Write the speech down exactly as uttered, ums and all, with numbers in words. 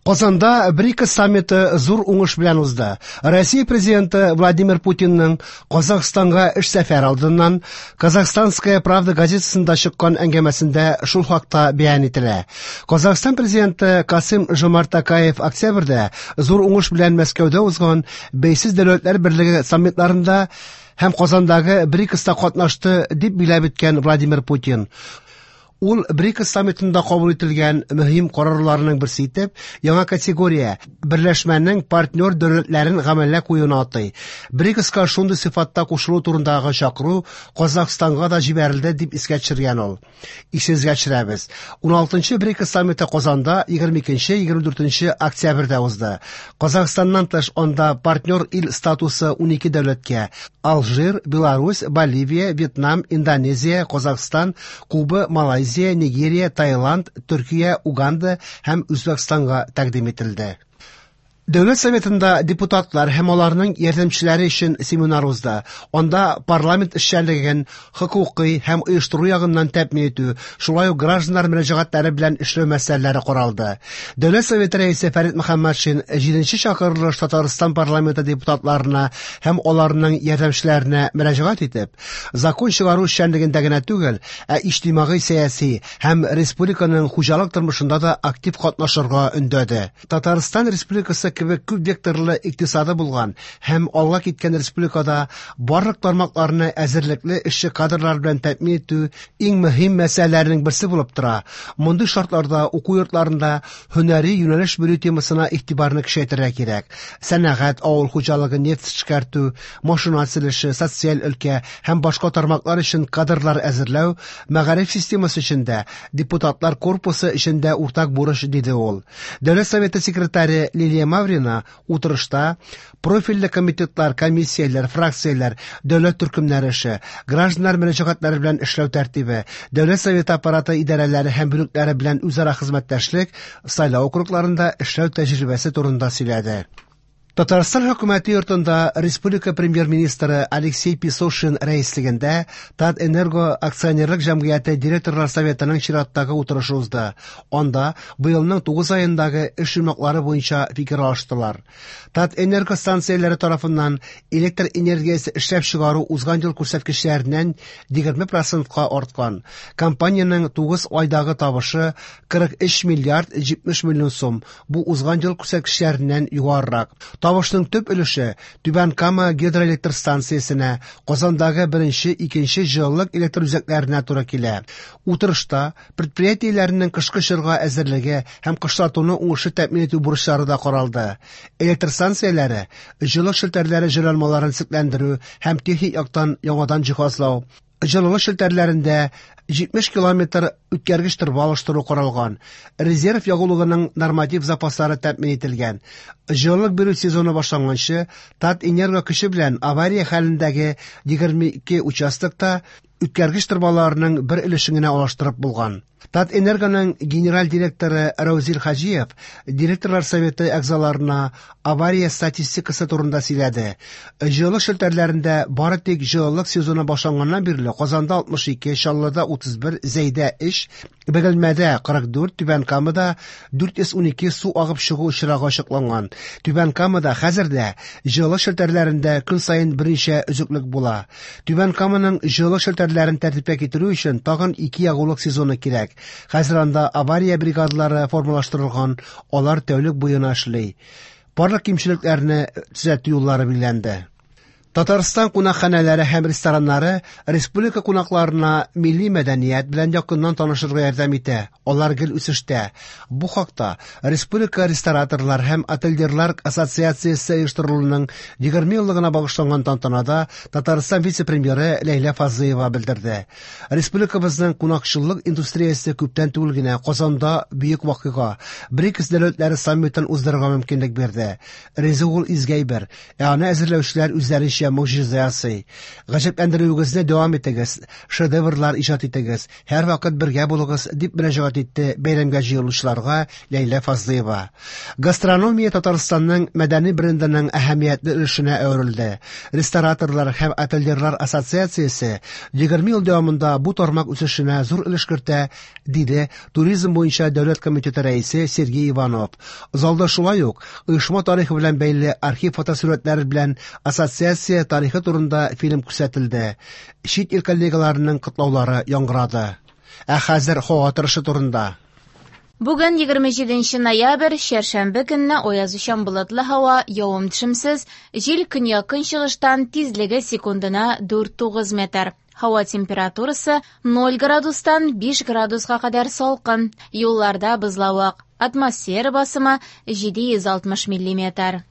Казанда БРИКС саммиты зур уңыш белән узды. Россия президенты Владимир Путинның Казахстанга эш сәфәре алдыннан «Казахстанская правда» газетасында чыккан әңгәмәсендә шул хакта бәян ителә. Казахстан президенты Касым Жомарт Токаев октябрьдә зур уңыш белән Мәскәүдә узган Бәйсез дәүләтләр берлеге саммитларында һәм Казандагы БРИКСта катнашты, дип билгеләп үткән Владимир Путин. Ул БРИКС саммитында кабул ителгән мөһим карарларның берсе итеп яңа категория берләшмәнең партнер дәүләтләрен гамәлгә куюны атый. БРИКСка шундый сыйфатта кушылу турындагы чакыру Казахстанга да җибәрелде, дип искә төшергән ул. Исегезгә төшерәбез. уналтынчы БРИКС саммиты Казанда егерме икенче егерме дүртенче октябрьдә узды. Казахстаннан тыш анда партнер ил статусы унике дәүләткә: Алжир, Беларусь, Боливия, Вьетнам, Индонезия, Казахстан, Куба, Малайзия, Нигерия, Таиланд, Төркия, Уганда һәм Үзбәкстанга тәкъдим ителде. Дәүләт Советында депутатлар һәм аларның ярдәмчеләре өчен семинар узды. Анда парламент эшчәнлеген хокукый һәм оештыру ягыннан тәэмин итү, шулай ук гражданнар мөрәҗәгатьләре белән эшләү мәсьәләләре каралды. Дәүләт Советы рәисе Фәрит Мөхәммәтшин җиденче чакырылыш Татарстан парламенты депутатларына һәм аларның ярдәмчеләренә мөрәҗәгать итеп, закон чыгару эшчәнлегендә генә түгел, ә иҗтимагый сәяси һәм республиканың хуҗалык тормышында да актив катнашырга өндәде. Татарстан Республикасы кебек күп векторлы икътисады булган һәм алга киткән республикада барлык тармакларны әзерлекле эшче кадрлар белән тәэмин итү иң мөһим мәсьәләләрнең берсе булып тора. Мондый шартларда уку йортларында һөнәри юнәлеш бирү темасына игътибарны көчәйтергә кирәк. Сәнәгать, авыл хуҗалыгы, нефть эшкәртү, машина төзелеше, социаль өлкә һәм башка тармаклар өчен кадрлар әзерләү мәгариф системасы өчен дә, депутатлар корпусы өчен дә уртак бурыч, диде ул. Дәүләт Советы секретаре Лилия Маврина утырышта профильле комитетлар, комиссияләр, фракцияләр, дәүләт төркемнәре эше, гражданнар мөрәҗәгатьләре белән эшләү тәртибе, Дәүләт Советы аппараты идарәләре һәм бүлекләре белән үзара хезмәттәшлек, сайлау округларында эшләү тәҗрибәсе турында сөйләде. Татарстан хөкүмәте йортында республика премьер-министры Алексей Песошин рәислегендә Татэнерго акционерлык җәмгыяте директорлар советының чираттагы утырышы узды. Анда быелның тугыз аендагы эш йомгаклары буенча фикер алыштылар. Татэнерго станцияләре тарафыннан электр энергиясе эшләп чыгару узган ел күрсәткечләреннән егерме процентка арткан. Компаниянең тугыз айдагы табышы кырык өч миллиард җитмеш миллион сум. Бу узган ел күрсәткечләреннән югарырак. Табышның төп өлеше Түбән Кама гидроэлектр станциясенә, Казандагы беренче, икенче җылылык электр үзәкләренә туры килә. Утырышта предприятиеләрнең кышкы чорга әзерлеге һәм кышлатуны уңышлы тәэмин итү бурычлары да каралды. Электр станцияләре җылылык челтәрләре җайланмаларын төзекләндерү һәм техник яктан яңадан җиһазлау, җылылык челтәрләрендә җитмеш километр үткәргеч торба алыштыру каралган. Резерв ягулыгының норматив запаслары тәэмин ителгән. Җылылык бирү сезоны башланганчы Татэнерго көче белән авария хәлендәге егерме ике участокта үткәргеч торбаларының бер өлешен генә алыштырып булган. Татэнергоның генераль директоры Раузил Хаҗиев директорлар советы әгъзаларына авария статистикасы турында сөйләде. Җылылык челтәрләрендә бары тик җылылык сезоны башланганнан бирле Казанда алтмыш ике, Чаллыда утыз бер, Зәйдә өч, Бөгелмәдә кырык дүрт, Түбән Камада дүрт йөз унике су агып чыгу очрагы ачыкланган. Түбән Камада хәзер дә җылылык челтәрләрендә көн саен берничә өзеклек була. Түбән Каманың җылылык челтәрләрен тәртипкә китерү өчен тагын ике ягулык сезоны кирәк. Хәзер анда авария бригадалары формалаштырылган, алар тәүлек буена эшли. Барлык кимчелекләрне төзәтү юллары билгеләнде. Татарстан кунакханәләре һәм рестораннары республика кунакларына милли мәдәният белән якыннан танышырга ярдәм итә. Алар гел үсештә. Бу хакта Республика рестораторлар һәм отельерлар ассоциациясе оештырылуының егерме еллыгына багышланган тантанада Татарстан вице-премьеры Ләйлә Фазлыева белдерде. Республикабызның кунакчыллык индустриясе күптән түгел генә Казанда бөек вакыйга БРИКС дәүләтләре саммитын уздырырга мөмкинлек бирде. Ризык ул изге әйбер, ә аны әзерләүчеләр үзләренчә киресенчә, могҗиза ясый. Гаҗәпләндерүегезне дәвам итегез, шедеврлар иҗат итегез, һәрвакыт бергә булыгыз, дип мөрәҗәгать итте бәйрәмгә җыелучыларга Ләйлә Фазлыева. Гастрономия Татарстанның мәдәни брендының әһәмиятле өлешенә әверелде. Рестораторлар һәм отельерлар ассоциациясе егерме ел дәвамында бу тармак үсешенә зур өлеш кертә, диде Туризм буенча дәүләт комитеты рәисе Сергей Иванов. Залда шулай ук оешма тарихы белән бәйле архив фотосурәтләре белән ассоциация тарихы турында фильм күрсәтелде. Чит ил коллегаларының котлаулары яңгырады. Ә хәзер һава торышы турында. Бүген егерме җиденче ноябрь, чәршәмбе көнне аязучан болытлы һава, явым-төшемсез, җил көньяк-көнчыгыштан, тизлеге секундына дүрт тугыз метр. Һава температурасы ноль градустан биш градуска кадәр салкын. Юлларда бозлавык. Атмосфера басымы җиде йөз алтмыш миллиметр.